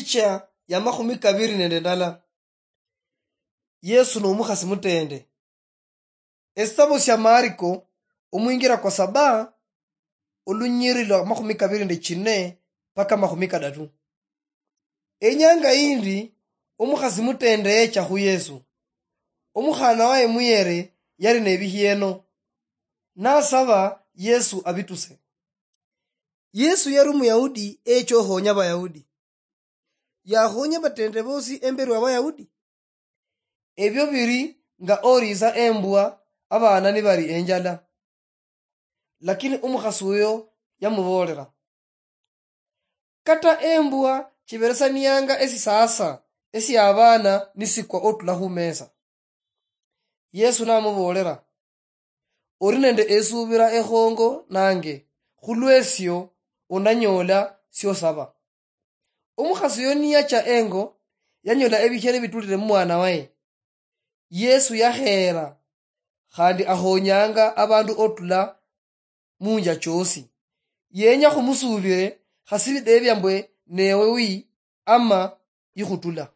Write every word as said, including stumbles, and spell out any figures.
Sha ya makhumi kabiri nende ndala. Yesu nomukhasi mutende. Esitabo sia Mariko, omwingira kwa saba, olunyiri lwa makhumi kabiri nende chine paka makhumi kadatu. Enyanga yindi, omukhasi mutende yecha khu Yesu. Omukhana waye muyere yali nebihieno, nasaba Yesu abituse. Yesu yali Omuyahudi echa okhonya Abayahudi. Yakhonya batende bosi emberi wa Bayahudi. Ebyo biri nga oriisa embwa abaana nibali enjala. Lakini omukhasi uyo yamuboolera, "Kata embwa chiberesanianga esisaasa esia abaana nisikwa otula khumesa." Yesu namuboolera, "Ori nende esuubira ekhongo nange, khulwesio onanyoola siosaba." Omukhasi oyo niyacha engo, yanyoola ebikhene bitulire mumwana waye. Yesu yakheera, khandi akhonyanga abandu otula munja choosi. Yenya khumusuubire, khasi bideebia mbwe newe wi ama ikhutula.